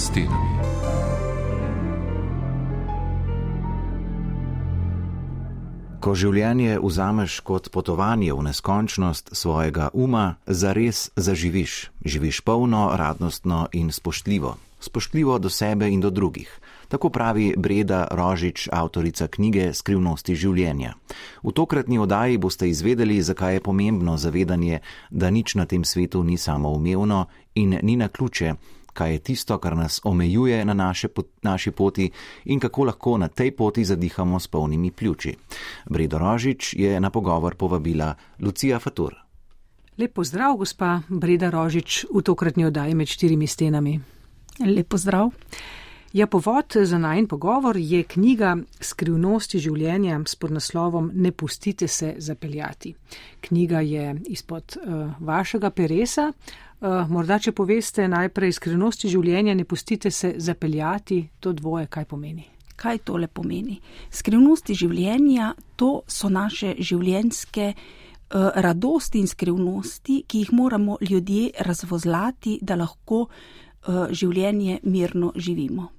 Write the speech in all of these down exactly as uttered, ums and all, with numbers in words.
stenami. Ko življenje vzameš kot potovanje v neskončnost svojega uma, zares zaživiš. Živiš polno, radostno in spoštljivo. Spoštljivo do sebe in do drugih. Tako pravi Breda Rožič, avtorica knjige Skrivnosti življenja. V tokratni oddaji boste izvedeli, zakaj je pomembno zavedanje, da nič na tem svetu ni samoumevno in ni naključje, kaj je tisto, kar nas omejuje na naše, naši poti in kako lahko na tej poti zadihamo s polnimi pljuči. Bredo Rožič je na pogovor povabila Lucija Fatur. Lep pozdrav, gospa Breda Rožič, v tokratni oddaji Med štirimi stenami. Lep pozdrav. Ja, povod za najin pogovor je knjiga Skrivnosti življenja s podnaslovom Ne pustite se zapeljati. Knjiga je izpod uh, vašega peresa. Uh, morda, če poveste najprej Skrivnosti življenja, ne pustite se zapeljati, to dvoje kaj pomeni? Kaj tole pomeni? Skrivnosti življenja, to so naše življenjske uh, radosti in skrivnosti, ki jih moramo ljudje razvozlati, da lahko uh, življenje mirno živimo.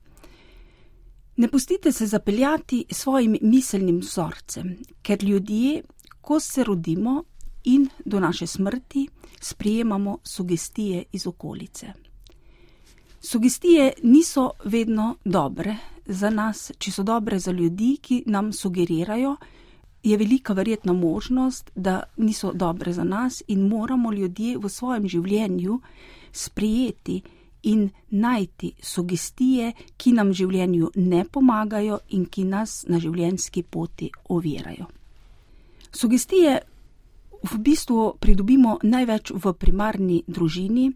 Ne pustite se zapeljati svojim miselnim vzorcem, ker ljudje, ko se rodimo in do naše smrti, sprejemamo sugestije iz okolice. Sugestije niso vedno dobre za nas. Če so dobre za ljudi, ki nam sugerirajo, je velika verjetna možnost, da niso dobre za nas in moramo ljudje v svojem življenju sprejeti in najti sugestije, ki nam v življenju ne pomagajo in ki nas na življenjski poti ovirajo. Sugestije v bistvu pridobimo največ v primarni družini,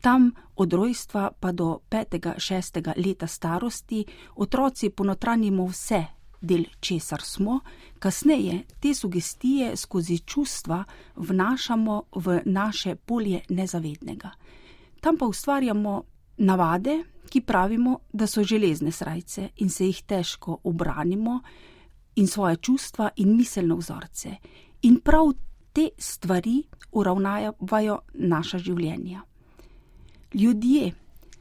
tam od rojstva pa do petega, šestega leta starosti otroci ponotranjimo vse, del česar smo, kasneje te sugestije skozi čustva vnašamo v naše polje nezavednega. Tam pa ustvarjamo navade, ki pravimo, da so železne srajce in se jih težko ubranimo, in svoje čustva in miselne vzorce. In prav te stvari uravnavajo naša življenja. Ljudje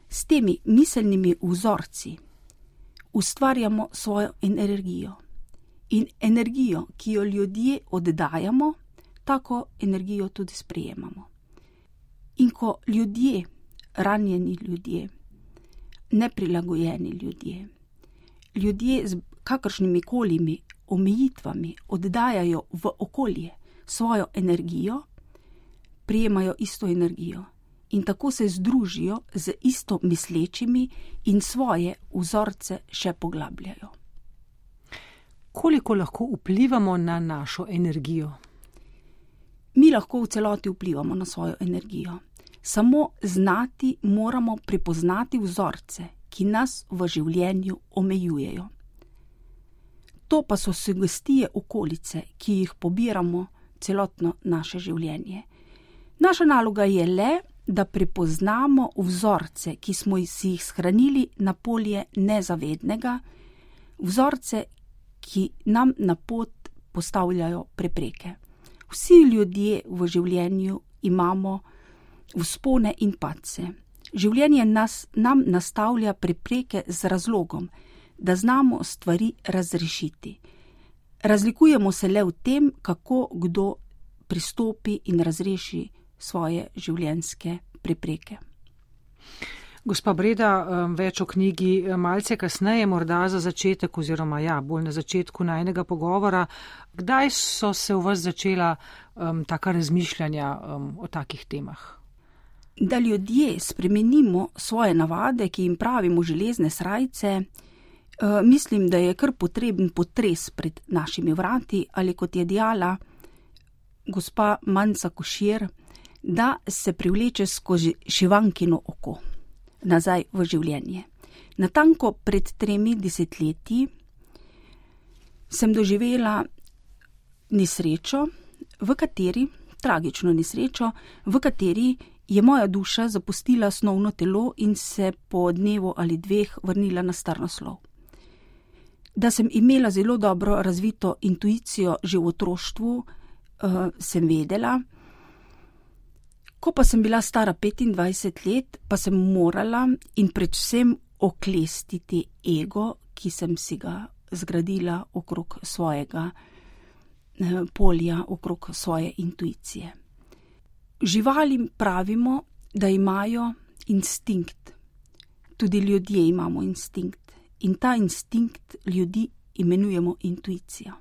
s temi miselnimi vzorci ustvarjamo svojo energijo. In energijo, ki jo ljudje oddajamo, tako energijo tudi sprejemamo. In ko ljudje, ranjeni ljudje, neprilagojeni ljudje, ljudje z kakršnimi kolimi omejitvami oddajajo v okolje svojo energijo, prijemajo isto energijo in tako se združijo z isto mislečimi in svoje vzorce še poglabljajo. Koliko lahko vplivamo na našo energijo? Mi lahko v celoti vplivamo na svojo energijo. Samo znati moramo prepoznati vzorce, ki nas v življenju omejujejo. To pa so sugestije okolice, ki jih pobiramo celotno naše življenje. Naša naloga je le, da prepoznamo vzorce, ki smo si jih shranili na polje nezavednega, vzorce, ki nam na pot postavljajo prepreke. Vsi ljudje v življenju imamo vzpone in padce. Življenje nas, nam nastavlja prepreke z razlogom, da znamo stvari razrešiti. Razlikujemo se le v tem, kako kdo pristopi in razreši svoje življenjske prepreke. Gospa Breda, več o knjigi malce kasneje, morda za začetek oziroma ja, bolj na začetku najnega pogovora. Kdaj so se v vas začela um, taka razmišljanja um, o takih temah? Da ljudje spremenimo svoje navade, ki jim pravimo železne srajce, uh, mislim, da je kar potreben potres pred našimi vrati, ali kot je dejala gospa Manca Košir, da se privleče skozi šivankino oko nazaj v življenje. Natanko pred tremi desetletji sem doživela nesrečo, v kateri, tragično nesrečo, v kateri je moja duša zapustila snovno telo in se po dnevu ali dveh vrnila na starnoslov. Da sem imela zelo dobro razvito intuicijo že v otroštvu, uh, sem vedela. Ko pa sem bila stara petindvajset let, pa sem morala in predvsem oklestiti ego, ki sem si ga zgradila okrog svojega polja, okrog svoje intuicije. Živalim pravimo, da imajo instinkt. Tudi ljudje imamo instinkt. In ta instinkt ljudi imenujemo intuicija.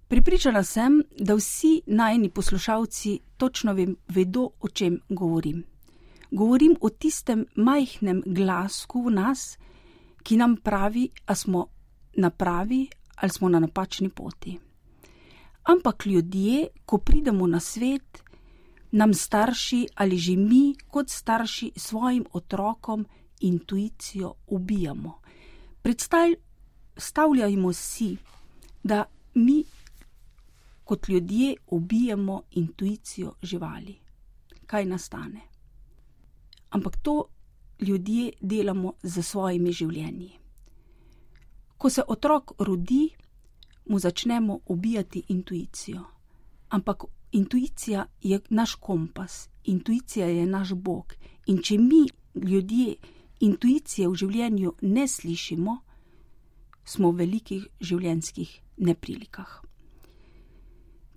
Prepričana sem, da vsi najini poslušalci točno vedo, o čem govorim. Govorim o tistem majhnem glasku v nas, ki nam pravi, a smo na pravi ali smo na napačni poti. Ampak ljudje, ko pridemo na svet, nam starši ali že mi kot starši svojim otrokom intuicijo ubijamo. Predstavljajmo si, da mi kot ljudje ubijemo intuicijo živali. Kaj nastane? Ampak to ljudje delamo z svojimi življenji. Ko se otrok rodi, mu začnemo ubijati intuicijo. Ampak intuicija je naš kompas, intuicija je naš Bog. In če mi, ljudje, intuicije v življenju ne slišimo, smo v velikih življenjskih neprilikah.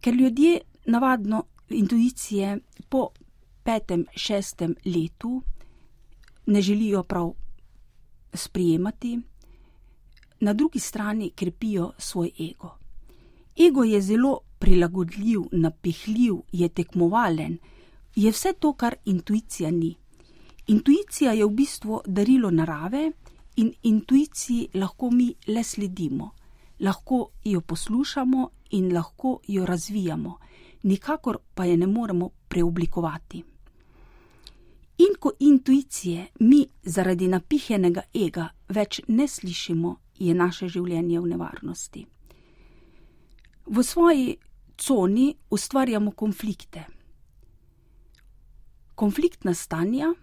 Ker ljudje navadno intuicije po petem, šestem letu ne želijo prav sprijemati, na drugi strani krepijo svoj ego. Ego je zelo prilagodljiv, napihljiv, je tekmovalen, je vse to, kar intuicija ni. Intuicija je v bistvu darilo narave in intuiciji lahko mi le sledimo. Lahko jo poslušamo in lahko jo razvijamo, nikakor pa je ne moremo preoblikovati. In ko intuicije mi zaradi napihnjenega ega več ne slišimo, je naše življenje v nevarnosti. V svoji coni ustvarjamo konflikte. Konfliktna stanja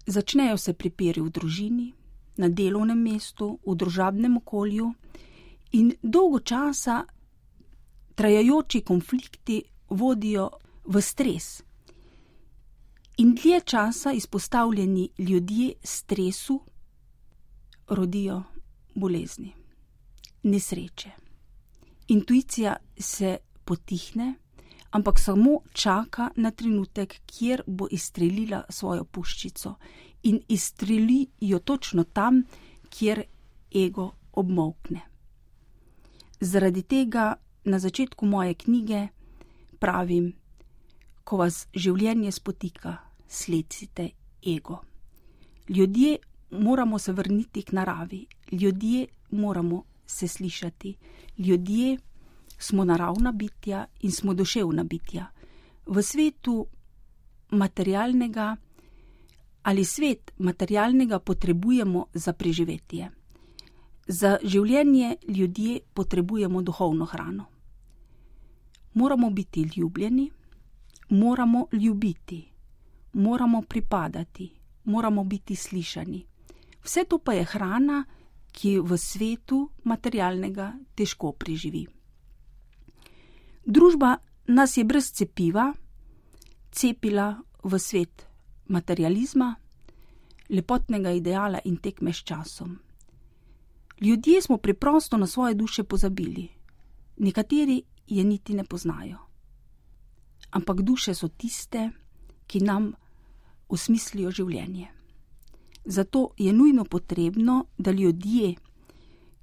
začnejo se pripiri v družini, na delovnem mestu, v družabnem okolju in dolgo časa trajajoči konflikti vodijo v stres. In dlje časa izpostavljeni ljudje stresu rodijo bolezni, nesreče. Intuicija se potihne, ampak samo čaka na trenutek, kjer bo izstrelila svojo puščico in izstreli jo točno tam, kjer ego obmolkne. Zaradi tega na začetku moje knjige pravim, ko vas življenje spotika, slecite ego. Ljudje moramo se vrniti k naravi, ljudje moramo se slišati, ljudje smo naravna bitja in smo duševna bitja. V svetu materialnega ali svet materialnega potrebujemo za preživetje. Za življenje ljudje potrebujemo duhovno hrano. Moramo biti ljubljeni, moramo ljubiti, moramo pripadati, moramo biti slišani. Vse to pa je hrana, ki v svetu materialnega težko preživi. Družba nas je brez cepiva cepila v svet materializma, lepotnega ideala in tekme s časom. Ljudje smo preprosto na svoje duše pozabili. Nekateri je niti ne poznajo. Ampak duše so tiste, ki nam osmislijo življenje. Zato je nujno potrebno, da ljudje,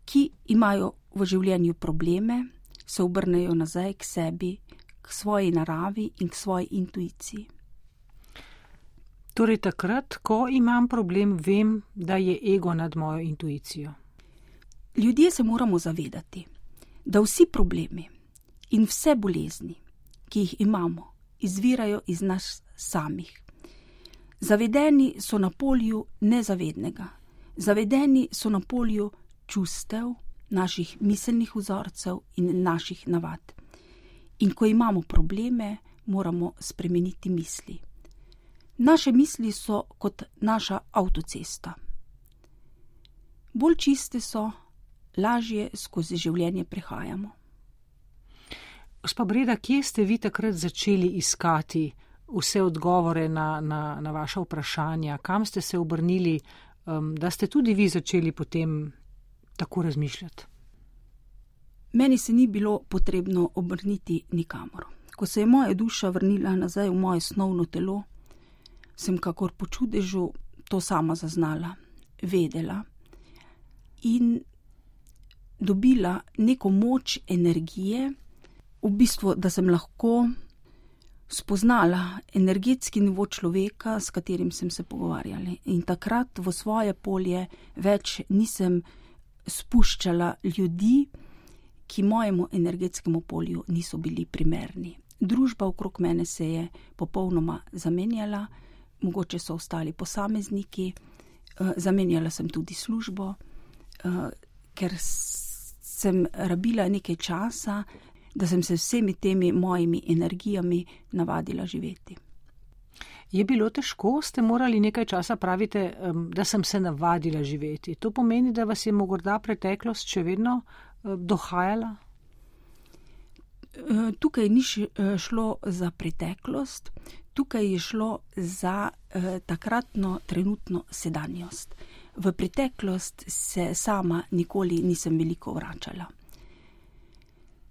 ki imajo v življenju probleme, se obrnejo nazaj k sebi, k svoji naravi in k svoji intuiciji. Torej takrat, ko imam problem, vem, da je ego nad mojo intuicijo. Ljudje se moramo zavedati, da vsi problemi in vse bolezni, ki jih imamo, izvirajo iz nas samih. Zavedeni so na polju nezavednega, zavedeni so na polju čustev, naših miselnih vzorcev in naših navad. In ko imamo probleme, moramo spremeniti misli. Naše misli so kot naša avtocesta. Bolj čiste so, lažje skozi življenje prehajamo. Gospa Breda, kje ste vi takrat začeli iskati vse odgovore na, na, na vaša vprašanja? Kam ste se obrnili da ste tudi vi začeli potem tako razmišljati? Meni se ni bilo potrebno obrniti nikamor. Ko se je moja duša vrnila nazaj v moje snovno telo, sem kakor po čudežu to sama zaznala, vedela in dobila neko moč energije, v bistvu, da sem lahko spoznala energetski nivo človeka, s katerim sem se pogovarjala. In takrat v svoje polje več nisem spuščala ljudi, ki mojemu energetskemu polju niso bili primerni. Družba okrog mene se je popolnoma zamenjala, mogoče so ostali posamezniki, zamenjala sem tudi službo, ker sem rabila nekaj časa, da sem se vsemi temi mojimi energijami navadila živeti. Je bilo težko, ste morali nekaj časa, pravite, da sem se navadila živeti. To pomeni, da vas je morda preteklost še vedno dohajala? Tukaj ni šlo za preteklost, tukaj je šlo za takratno trenutno sedanjost. V preteklost se sama nikoli nisem veliko vračala.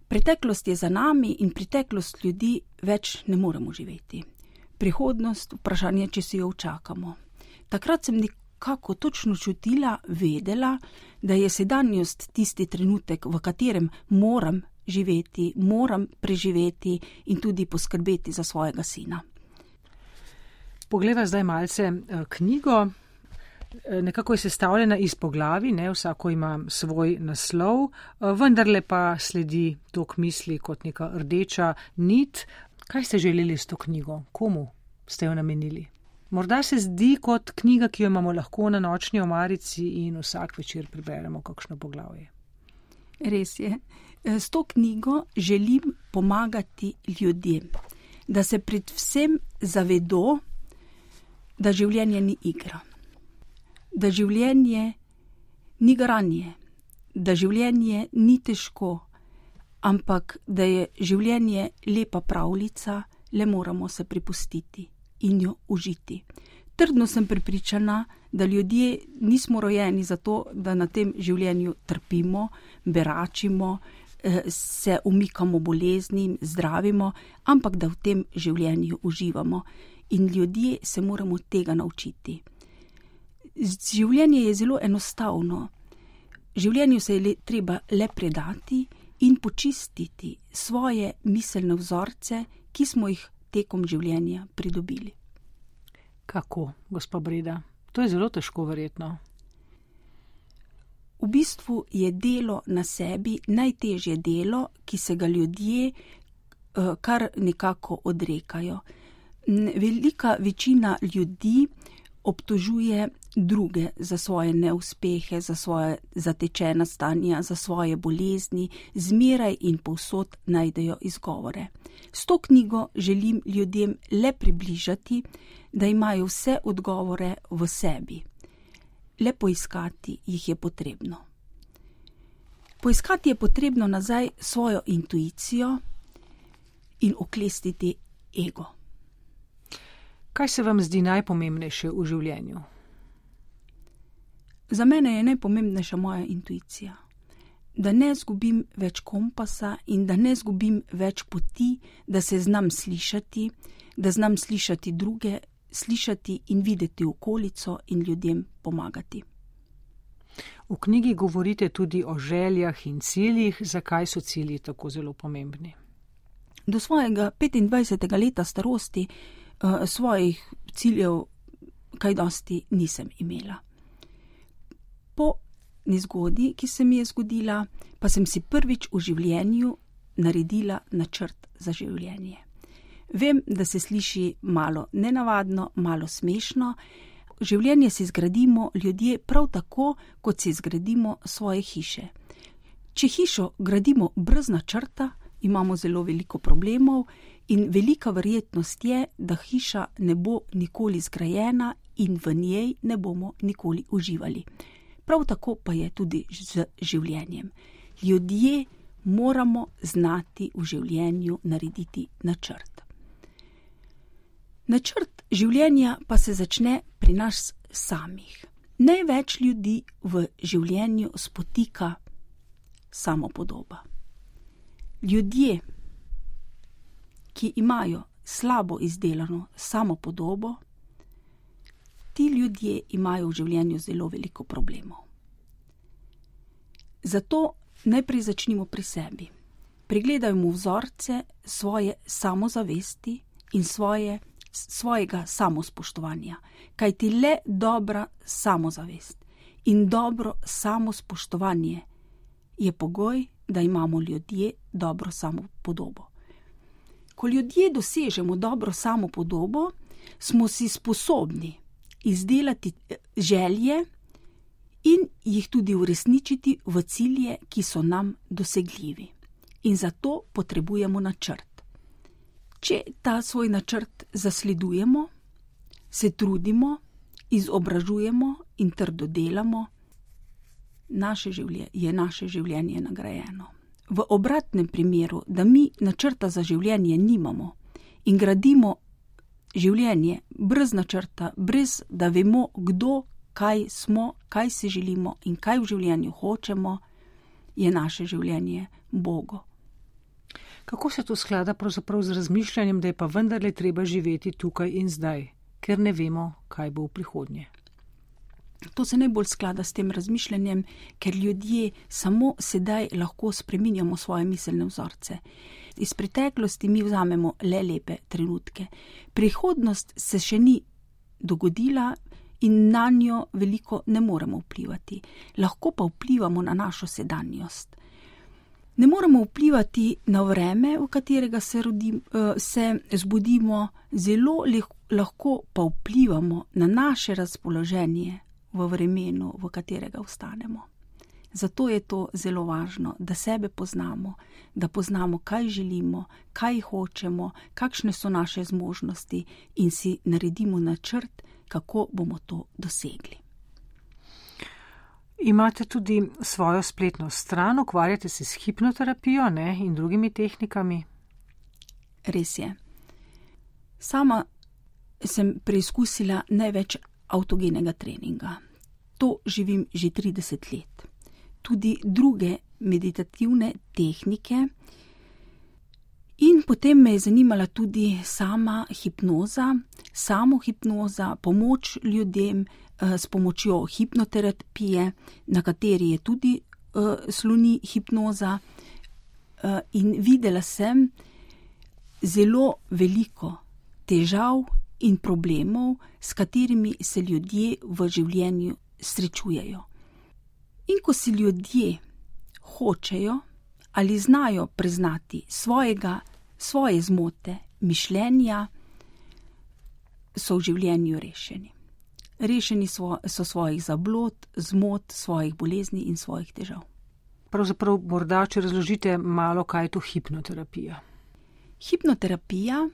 Preteklost je za nami in preteklost ljudi več ne moremo živeti. Prihodnost, vprašanje, če si jo včakamo. Takrat sem nekako točno čutila, vedela, da je sedanjost tisti trenutek, v katerem moram živeti, moram preživeti in tudi poskrbeti za svojega sina. Poglejva zdaj malce knjigo. Nekako je sestavljena iz poglavij, ne, vsako ima svoj naslov, vendarle pa sledi tok misli kot neka rdeča nit. Kaj ste želeli s to knjigo? Komu ste jo namenili? Morda se zdi kot knjiga, ki jo imamo lahko na nočni omarici in vsak večer preberemo kakšno poglavje. Res je. S to knjigo želim pomagati ljudem, da se predvsem zavedo, da življenje ni igra. Da življenje ni garanje, da življenje ni težko, ampak da je življenje lepa pravljica, le moramo se prepustiti in jo užiti. Trdno sem prepričana, da ljudje nismo rojeni zato, da na tem življenju trpimo, beračimo, se umikamo boleznim, zdravimo, ampak da v tem življenju uživamo. In ljudje se moramo tega naučiti. Življenje je zelo enostavno. Življenju se je treba le predati in počistiti svoje miselne vzorce, ki smo jih tekom življenja pridobili. Kako, gospa Breda? To je zelo težko verjetno. V bistvu je delo na sebi najtežje delo, ki se ga ljudje kar nekako odrekajo. Velika večina ljudi obtožuje druge za svoje neuspehe, za svoje zatečena stanja, za svoje bolezni, zmeraj in povsod najdejo izgovore. S to knjigo želim ljudem le približati, da imajo vse odgovore v sebi. Le poiskati jih je potrebno. Poiskati je potrebno nazaj svojo intuicijo in oklestiti ego. Kaj se vam zdi najpomembnejše v življenju? Za mene je najpomembnejša moja intuicija. Da ne zgubim več kompasa in da ne zgubim več poti, da se znam slišati, da znam slišati druge, slišati in videti okolico in ljudem pomagati. V knjigi govorite tudi o željah in ciljih. Zakaj so cilji tako zelo pomembni? Do svojega petindvajsetega leta starosti uh, svojih ciljev kaj dosti nisem imela. Po nezgodi, ki se mi je zgodila, pa sem si prvič v življenju naredila načrt za življenje. Vem, da se sliši malo nenavadno, malo smešno. Življenje si zgradimo ljudje prav tako, kot si zgradimo svoje hiše. Če hišo gradimo brez načrta, imamo zelo veliko problemov in velika verjetnost je, da hiša ne bo nikoli zgrajena in v njej ne bomo nikoli uživali. Prav tako pa je tudi z življenjem. Ljudje moramo znati v življenju narediti načrt. Načrt življenja pa se začne pri nas samih. Največ ljudi v življenju spotika samopodoba. Ljudje, ki imajo slabo izdelano samopodobo, ti ljudje imajo v življenju zelo veliko problemov. Zato najprej začnimo pri sebi. Pregledajmo vzorce svoje samozavesti in svoje, svojega samospoštovanja, kajti le dobra samozavest in dobro samospoštovanje je pogoj, da imamo ljudje dobro samopodobo. Ko ljudje dosežemo dobro samopodobo, smo si sposobni izdelati želje in jih tudi uresničiti v cilje, ki so nam dosegljivi. In zato potrebujemo načrt. Če ta svoj načrt zasledujemo, se trudimo, izobražujemo in trdo delamo, naše življenje, je naše življenje nagrajeno. V obratnem primeru, da mi načrta za življenje nimamo in gradimo življenje brez načrta, brez da vemo, kdo, kaj smo, kaj si želimo in kaj v življenju hočemo, je naše življenje Bogo. Kako se to sklada pravzaprav z razmišljanjem, da je pa vendarle treba živeti tukaj in zdaj, ker ne vemo, kaj bo v prihodnje? To se najbolj sklada s tem razmišljanjem, ker ljudje samo sedaj lahko spreminjamo svoje miselne vzorce. Iz preteklosti mi vzamemo le lepe trenutke. Prihodnost se še ni dogodila in na njo veliko ne moremo vplivati. Lahko pa vplivamo na našo sedanjost. Ne moremo vplivati na vreme, v katerega se, rodim, se zbudimo, zelo lahko pa vplivamo na naše razpoloženje v vremenu, v katerega vstanemo. Zato je to zelo važno, da sebe poznamo, da poznamo, kaj želimo, kaj hočemo, kakšne so naše zmožnosti in si naredimo načrt, kako bomo to dosegli. Imate tudi svojo spletno stran, ukvarjate se s hipnoterapijo, ne, in drugimi tehnikami? Res je. Sama sem preizkusila največ avtogenega treninga. To živim že trideset let. Tudi druge meditativne tehnike. In potem me je zanimala tudi sama hipnoza, samohipnoza, pomoč ljudem s pomočjo hipnoterapije, na kateri je tudi uh, sloni hipnoza. Uh, in videla sem zelo veliko težav in problemov, s katerimi se ljudje v življenju srečujejo. In ko si ljudje hočejo ali znajo priznati svojega, svoje zmote, mišljenja, so v življenju rešeni. Rešeni so, so svojih zablod, zmot, svojih bolezni in svojih težav. Pravzaprav morda, če razložite malo, kaj je to hipnoterapija. Hipnoterapija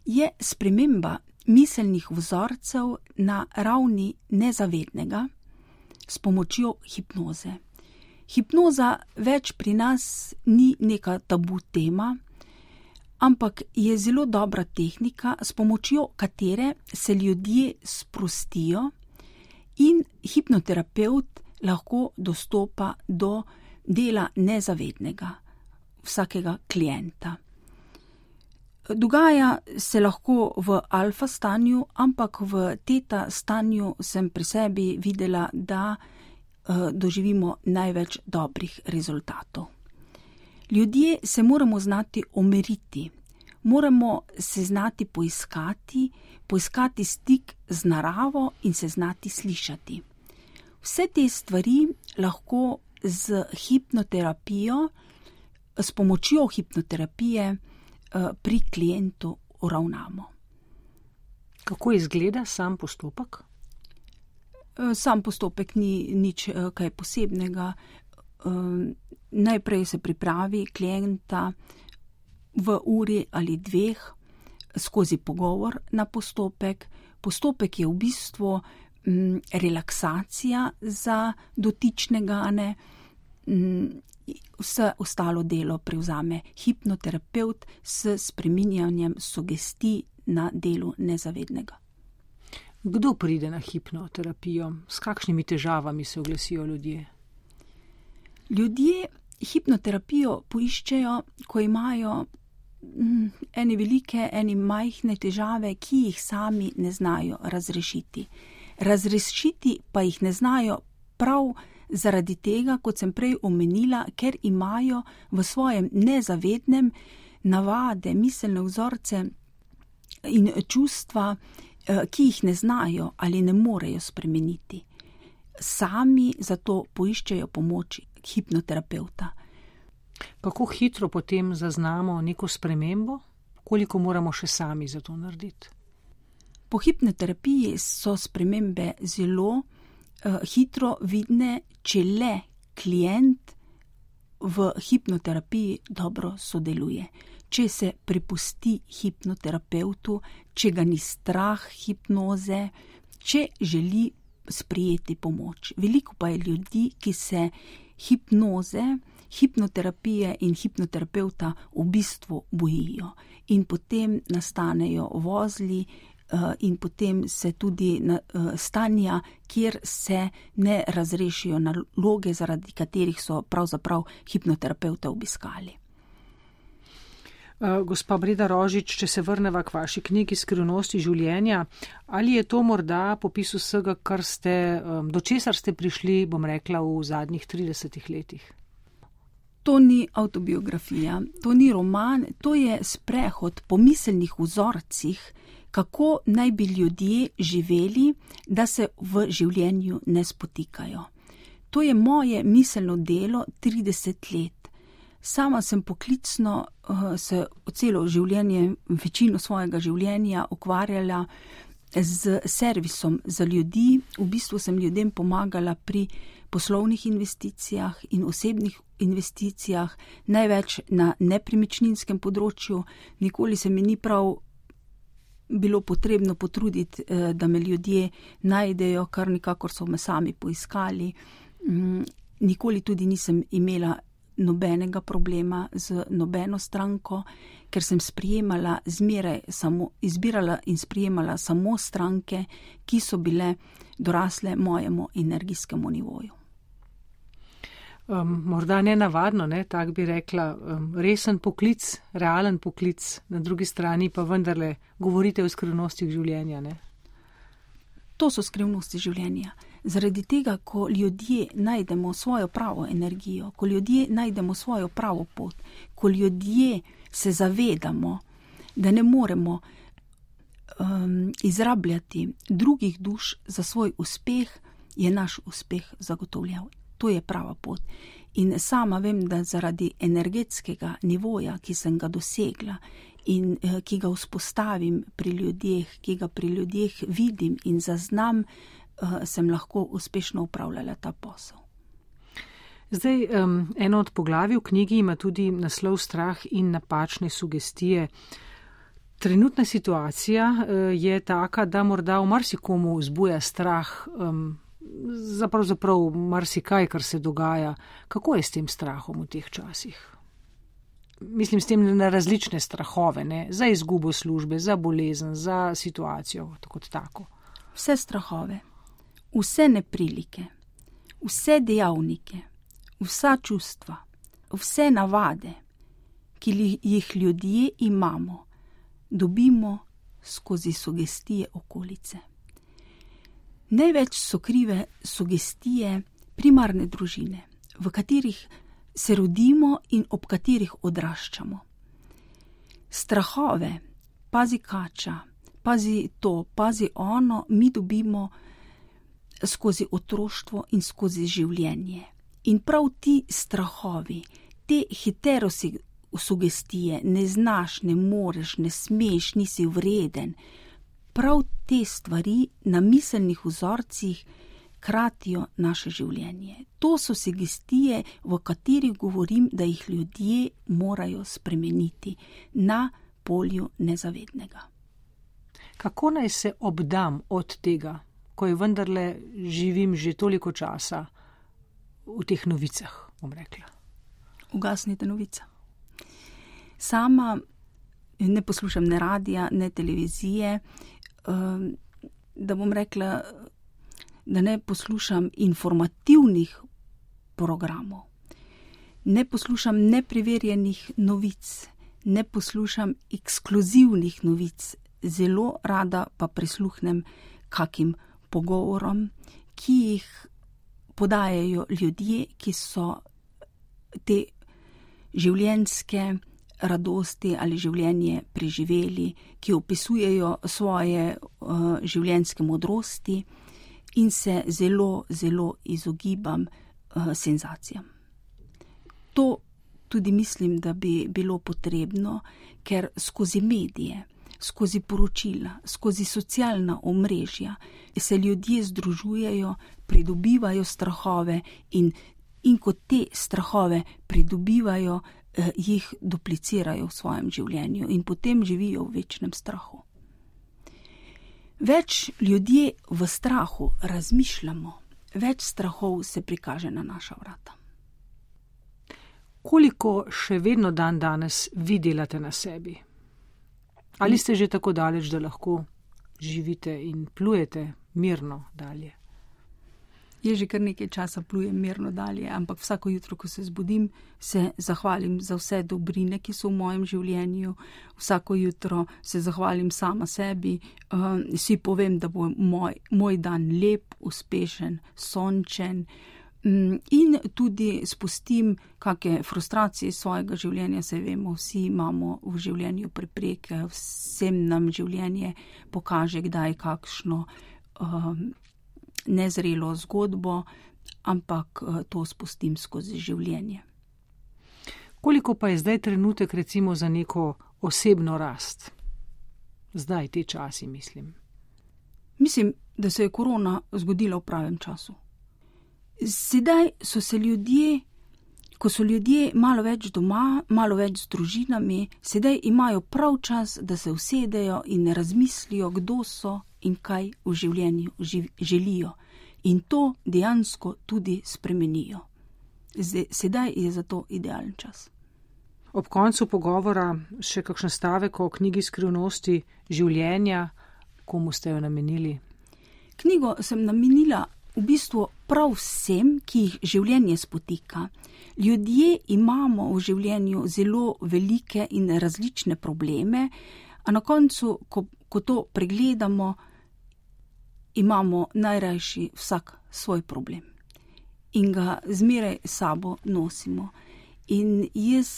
je sprememba miselnih vzorcev na ravni nezavednega s pomočjo hipnoze. Hipnoza več pri nas ni neka tabu tema, ampak je zelo dobra tehnika, s pomočjo katere se ljudje sprostijo in hipnoterapevt lahko dostopa do dela nezavednega vsakega klienta. Dogaja se lahko v alfa stanju, ampak v teta stanju sem pri sebi videla, da uh, doživimo največ dobrih rezultatov. Ljudje se moramo znati omeriti, moramo se znati poiskati, poiskati stik z naravo in se znati slišati. Vse te stvari lahko z hipnoterapijo, s pomočjo hipnoterapije pri klientu uravnamo. Kako izgleda sam postopek? Sam postopek ni nič kaj posebnega. Najprej se pripravi klienta v uri ali dveh skozi pogovor na postopek. Postopek je v bistvu m, relaksacija za dotičnega, ne. Vse ostalo delo prevzame hipnoterapevt s spreminjanjem sugestij na delu nezavednega. Kdo pride na hipnoterapijo? S kakšnimi težavami se oglasijo ljudje? Ljudje hipnoterapijo poiščejo, ko imajo mm, ene velike, ene majhne težave, ki jih sami ne znajo razrešiti. Razrešiti pa jih ne znajo prav zaradi tega, kot sem prej omenila, ker imajo v svojem nezavednem navade, miselne vzorce in čustva, ki jih ne znajo ali ne morejo spremeniti. Sami zato poiščejo pomoč hipnoterapevta. Kako hitro potem zaznamo neko spremembo? Koliko moramo še sami za to narediti? Po hipnoterapiji so spremembe zelo uh, hitro vidne, če le klient v hipnoterapiji dobro sodeluje. Če se prepusti hipnoterapevtu, če ga ni strah hipnoze, če želi sprijeti pomoč. Veliko pa je ljudi, ki se hipnoze, hipnoterapije in hipnoterapevta v bistvu bojijo. In potem nastanejo vozli in potem se tudi stanja, kjer se ne razrešijo naloge, zaradi katerih so pravzaprav hipnoterapevta obiskali. Gospa Breda Rožič, če se vrneva k vaši knjigi Skrivnosti življenja, ali je to morda popis vsega, kar ste, do česar ste prišli, bom rekla, v zadnjih tridesetih letih? To ni avtobiografija, to ni roman, to je sprehod po miselnih vzorcih, kako naj bi ljudje živeli, da se v življenju ne spotikajo. To je moje miselno delo trideset let. Sama sem poklicno uh, se celo življenje, večino svojega življenja ukvarjala z servisom za ljudi. V bistvu sem ljudem pomagala pri poslovnih investicijah in osebnih investicijah, največ na nepremičninskem področju. Nikoli se mi ni prav bilo potrebno potruditi, da me ljudje najdejo, kar nikakor so me sami poiskali. Nikoli tudi nisem imela nobenega problema z nobeno stranko, ker sem sprijemala zmeraj samo, izbirala in sprijemala samo stranke, ki so bile dorasle mojemu energijskemu nivoju. Um, morda nenavadno, ne, tak bi rekla, um, resen poklic, realen poklic, na drugi strani pa vendarle govorite o skrivnostih življenja, ne? To so skrivnosti življenja. Zaradi tega, ko ljudje najdemo svojo pravo energijo, ko ljudje najdemo svojo pravo pot, ko ljudje se zavedamo, da ne moremo um, izrabljati drugih duš za svoj uspeh, je naš uspeh zagotovljen. To je prava pot. In sama vem, da zaradi energetskega nivoja, ki sem ga dosegla in eh, ki ga vzpostavim pri ljudeh, ki ga pri ljudeh vidim in zaznam, eh, sem lahko uspešno upravljala ta posel. Zdaj, um, eno od poglavij v knjigi ima tudi naslov Strah in napačne sugestije. Trenutna situacija uh, je taka, da morda v marsikomu vzbuja strah, um, za pravzaprav marsikaj, kar se dogaja. Kako je s tem strahom v teh časih? Mislim s tem na različne strahove, ne? Za izgubo službe, za bolezen, za situacijo, tako tako. Vse strahove, vse neprilike, vse dejavnike, vsa čustva, vse navade, ki jih ljudje imamo, dobimo skozi sugestije okolice. Največ so krive sugestije primarne družine, v katerih se rodimo in ob katerih odraščamo. Strahove, pazi kača, pazi to, pazi ono, mi dobimo skozi otroštvo in skozi življenje. In prav ti strahovi, te heterosugestije, ne znaš, ne moreš, ne smeš, nisi vreden, prav te stvari na miselnih vzorcih kratijo naše življenje. To so sugestije, v katerih govorim, da jih ljudje morajo spremeniti na polju nezavednega. Kako naj se obdam od tega, ko je vendarle živim že toliko časa v teh novicah, bom rekla? Ugasnite novica. Sama ne poslušam ne radija, ne televizije. da bom rekla, da ne poslušam informativnih programov, ne poslušam nepreverjenih novic, ne poslušam ekskluzivnih novic, zelo rada pa prisluhnem kakim pogovorom, ki jih podajajo ljudje, ki so te življenjske radosti ali življenje preživeli, ki opisujejo svoje uh, življenjske modrosti in se zelo, zelo izogibam uh, senzacijam. To tudi mislim, da bi bilo potrebno, ker skozi medije, skozi poročila, skozi socialna omrežja se ljudje združujejo, pridobivajo strahove in, in ko te strahove pridobivajo, eh, jih duplicirajo v svojem življenju in potem živijo v večnem strahu. Več ljudje v strahu razmišljamo, več strahov se prikaže na naša vrata. Koliko še vedno dan danes vi delate na sebi? Ali ste že tako daleč, da lahko živite in plujete mirno dalje? Jaz že kar nekaj časa plujem mirno dalje, ampak vsako jutro, ko se zbudim, se zahvalim za vse dobrine, ki so v mojem življenju. Vsako jutro se zahvalim sama sebi, uh, si povem, da bo moj, moj dan lep, uspešen, sončen. In tudi spustim kakšne frustracije svojega življenja, se vemo, vsi imamo v življenju prepreke, vsem nam življenje pokaže, kdaj kakšno uh, nezrelo zgodbo, ampak uh, to spustim skozi življenje. Koliko pa je zdaj trenutek recimo za neko osebno rast? Zdaj, te časi, mislim. Mislim, da se je korona zgodila v pravem času. Sedaj so se ljudje, ko so ljudje malo več doma, malo več z družinami, sedaj imajo prav čas, da se usedejo in razmislijo, kdo so in kaj v življenju živ, želijo. In to dejansko tudi spremenijo. Sedaj je za to idealen čas. Ob koncu pogovora še kakšen stavek o knjigi Skrivnosti življenja, komu ste jo namenili? Knjigo sem namenila v bistvu prav vsem, ki jih življenje spotika. Ljudje imamo v življenju zelo velike in različne probleme, a na koncu, ko, ko to pregledamo, imamo najrajši vsak svoj problem. In ga zmeraj sabo nosimo. In jaz,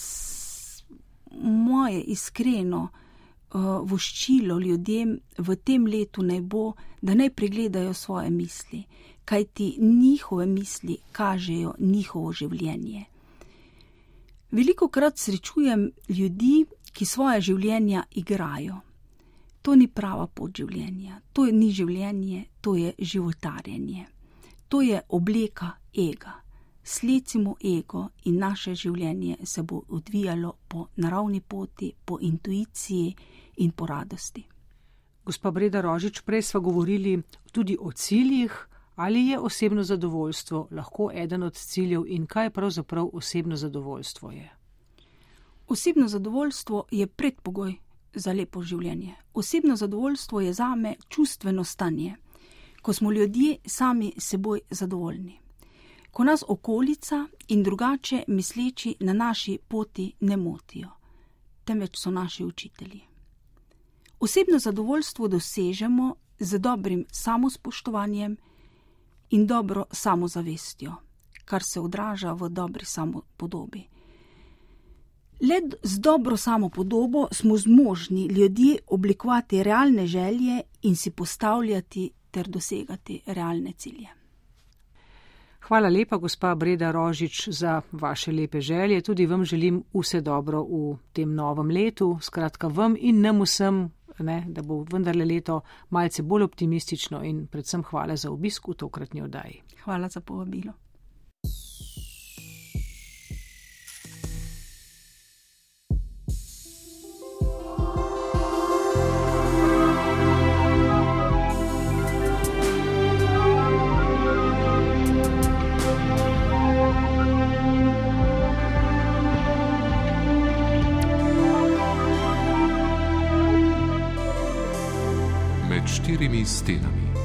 moje iskreno uh, voščilo ljudem v tem letu naj bo, da naj pregledajo svoje misli, kajti njihove misli kažejo njihovo življenje. Velikokrat srečujem ljudi, ki svoje življenja igrajo. To ni prava pot življenja, to ni življenje, to je životarjenje. To je obleka ega. Slecimo ego in naše življenje se bo odvijalo po naravni poti, po intuiciji in po radosti. Gospa Breda Rožič, prej sva govorili tudi o ciljih. Ali je osebno zadovoljstvo lahko eden od ciljev in kaj pravzaprav osebno zadovoljstvo je? Osebno zadovoljstvo je predpogoj za lepo življenje. Osebno zadovoljstvo je zame čustveno stanje, ko smo ljudje sami seboj zadovoljni. Ko nas okolica in drugače misleči na naši poti ne motijo, temveč so naši učitelji. Osebno zadovoljstvo dosežemo z dobrim samospoštovanjem in dobro samozavestjo, kar se odraža v dobri samopodobi. Le z dobro samopodobo smo zmožni ljudje oblikovati realne želje in si postavljati ter dosegati realne cilje. Hvala lepa, gospa Breda Rožič, za vaše lepe želje. Tudi vam želim vse dobro v tem novem letu. Skratka, vam in nam vsem, ne, da bo vendarle leto malce bolj optimistično in predvsem hvala za obisk v tokratni oddaji. Hvala za povabilo. med štirimi stenami.